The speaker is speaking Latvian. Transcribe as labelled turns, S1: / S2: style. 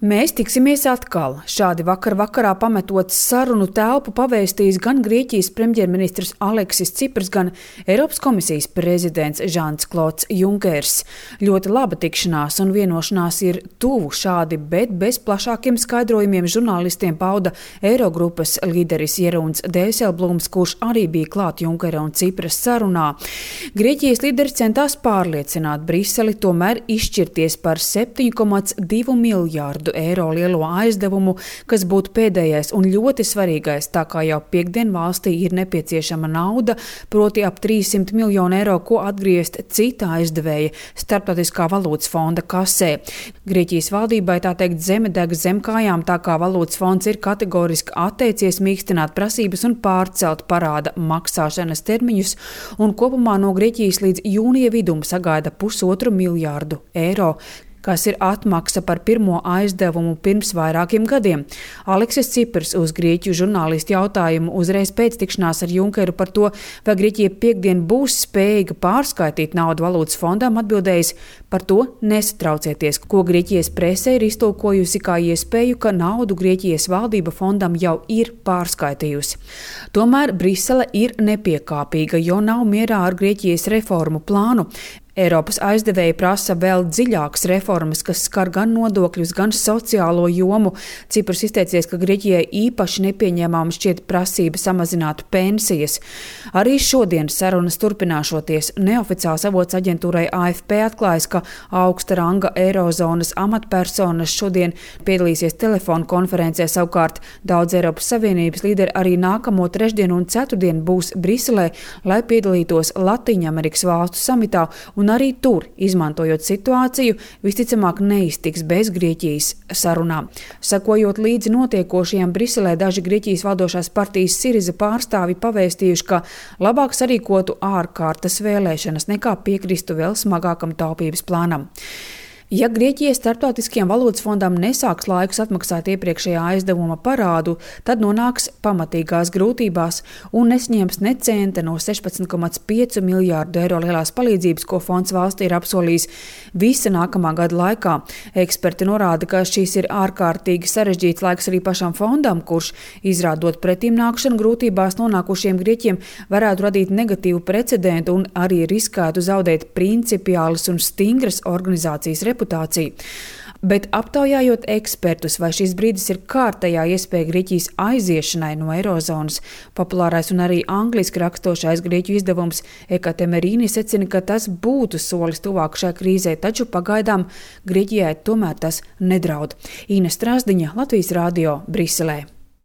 S1: Mēs tiksimies atkal. Šādi vakarā pametot sarunu telpu pavēstījis gan Grieķijas premjerministrs Aleksis Cipras, gan Eiropas komisijas prezidents Žans-Klods Junkers. Ļoti laba tikšanās un vienošanās ir tuvu šādi, bet bez plašākiem skaidrojumiem žurnālistiem pauda Eirogrupas līderis Jeroens Dijsselbloems, kurš arī bija klāt Junkera un Cipras sarunā. Grieķijas līderis centās pārliecināt Briseli tomēr izšķirties par 7,2 miljārdu eiro lielo aizdevumu, kas būtu pēdējais un ļoti svarīgais, tā kā jau piekdien valstī ir nepieciešama nauda, proti ap 300 miljonu eiro, ko atgriezt cita aizdevēja Starptautiskā valūtas fonda kasē. Grieķijas valdībai tā teikt zeme deg zem kājām, tā kā valūtas fonds ir kategoriski atteicies mīkstināt prasības un pārcelt parāda maksāšanas termiņus, un kopumā no Grieķijas līdz jūnija vidum sagaida 1,5 miljārdu eiro, kas ir atmaksa par pirmo aizdevumu pirms vairākiem gadiem. Aleksis Cipras uz grieķu žurnālistu jautājumu uzreiz pēc tikšanās ar Junkeru par to, vai Grieķija piekdien būs spējīga pārskaitīt naudu valūtas fondām, atbildējis: par to nesatraucieties, ko Grieķijas presē ir iztulkojusi kā iespēju, ka naudu Grieķijas valdība fondam jau ir pārskaitījusi. Tomēr Brisele ir nepiekāpīga, jo nav mierā ar Grieķijas reformu plānu. Eiropas aizdevēji prasa vēl dziļākas reformas, kas skar gan nodokļus, gan sociālo jomu. Cipras izteicies, ka Grieķijai īpaši nepieņēmama šķiet prasība samazināt pensijas. Arī šodien sarunas turpināšoties. Neoficiāls avots aģentūrai AFP atklājas, ka augsta ranga eirozonas amatpersonas šodien piedalīsies telefonu konferencē, savukārt daudz Eiropas Savienības līderi arī nākamo trešdienu un ceturtdienu būs Briselē, lai piedalītos Latīņamerikas valstu samitā, un arī tur, izmantojot situāciju, visticamāk neiztiks bez Grieķijas sarunām. Sekojot līdzi notiekošajām Briselē, daži Grieķijas valdošās partijas Siriza pārstāvi pavēstījuši, ka labāk sarīkotu ārkārtas vēlēšanas nekā piekristu vēl smagākam taupības plānam. Ja Grieķijas Starptautiskajam valūtas fondam nesāks laikus atmaksāt iepriekšējā aizdevuma parādu, tad nonāks pamatīgās grūtībās un nesņems ne centa no 16,5 miljārdu eiro lielās palīdzības, ko fonds valstī ir apsolījis visa nākamā gada laikā. Eksperti norāda, ka šīs ir ārkārtīgi sarežģīts laiks arī pašam fondam, kurš, izrādot pretimnākšanu grūtībās nonākušiem grieķiem, varētu radīt negatīvu precedentu un arī riskētu zaudēt principiālas un stingras organizācijas reputāciju. Bet aptaujājot ekspertus, vai šis brīdis ir kārtējā iespēja Grieķijas aiziešanai no eirozonas, populārais un arī angliski rakstošais grieķu izdevums Ekatemerīni secina, ka tas būtu solis tuvāk šai krīzē, taču pagaidām Grieķijai tomēr tas nedraud. Ines Strasdiņa, Latvijas radio, Briselē.